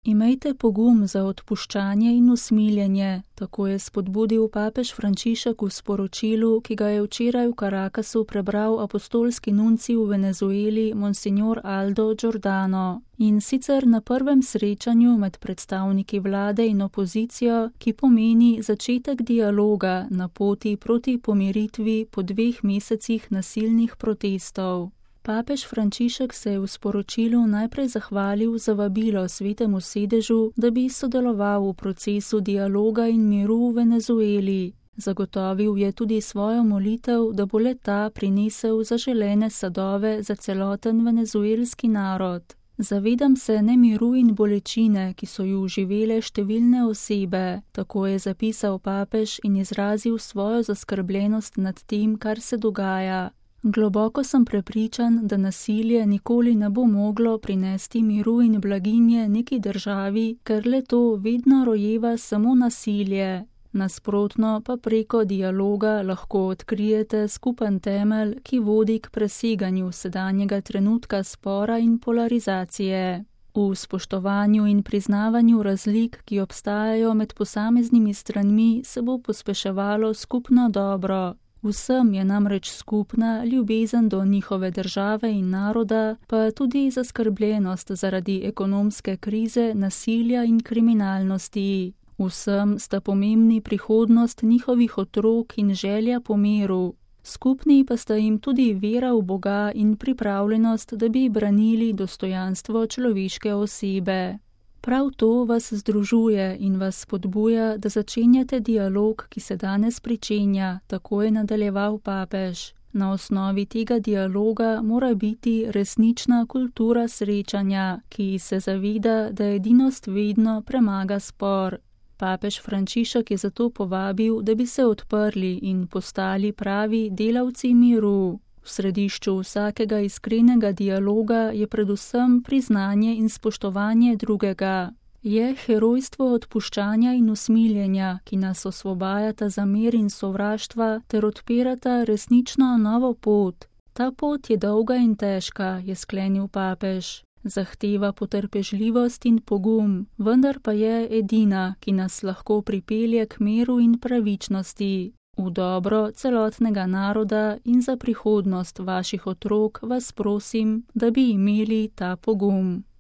Imejte pogum za odpuščanje in usmiljenje, tako je spodbudil papež Frančišek v sporočilu, ki ga je včeraj v Caracasu prebral apostolski nuncij v Venezueli Monsignor Aldo Giordano. In sicer na prvem srečanju med predstavniki vlade in opozicijo, ki pomeni začetek dialoga na poti proti pomiritvi po 2 mesecih nasilnih protestov. Papež Frančišek se je v sporočilu najprej zahvalil za vabilo Svetemu sedežu, da bi sodeloval v procesu dialoga in miru v Venezueli. Zagotovil je tudi svojo molitev, da bo le-ta prinesel zaželene sadove za celoten venezuelski narod. Zavedam se nemiru in bolečine, ki so ju živele številne osebe, tako je zapisal papež in izrazil svojo zaskrbljenost nad tem, kar se dogaja. Globoko sem prepričan, da nasilje nikoli ne bo moglo prinesti miru in blaginje neki državi, ker le to vedno rojeva samo nasilje. Nasprotno pa preko dialoga lahko odkrijete skupen temelj, ki vodi k preseganju sedanjega trenutka spora in polarizacije. V spoštovanju in priznavanju razlik, ki obstajajo med posameznimi stranmi, se bo pospeševalo skupno dobro. Vsem je namreč skupna ljubezen do njihove države in naroda, pa tudi zaskrbljenost zaradi ekonomske krize, nasilja in kriminalnosti. Vsem sta pomembni prihodnost njihovih otrok in želja po miru. Skupni pa sta jim tudi vera v Boga in pripravljenost, da bi branili dostojanstvo človeške osebe. Prav to vas združuje in vas spodbuja, da začenjate dialog, ki se danes pričenja, tako je nadaljeval papež. Na osnovi tega dialoga mora biti resnična kultura srečanja, ki se zaveda, da edinost vedno premaga spor. Papež Frančišek je zato povabil, da bi se odprli in postali pravi delavci miru. V središču vsakega iskrenega dialoga je predvsem priznanje in spoštovanje drugega. Je herojstvo odpuščanja in usmiljenja, ki nas osvobajata za mir in sovraštva ter odpirata resnično novo pot. Ta pot je dolga in težka, je sklenil papež. Zahteva potrpežljivost in pogum, vendar pa je edina, ki nas lahko pripelje k miru in pravičnosti. V dobro celotnega naroda in za prihodnost vaših otrok vas prosim, da bi imeli ta pogum.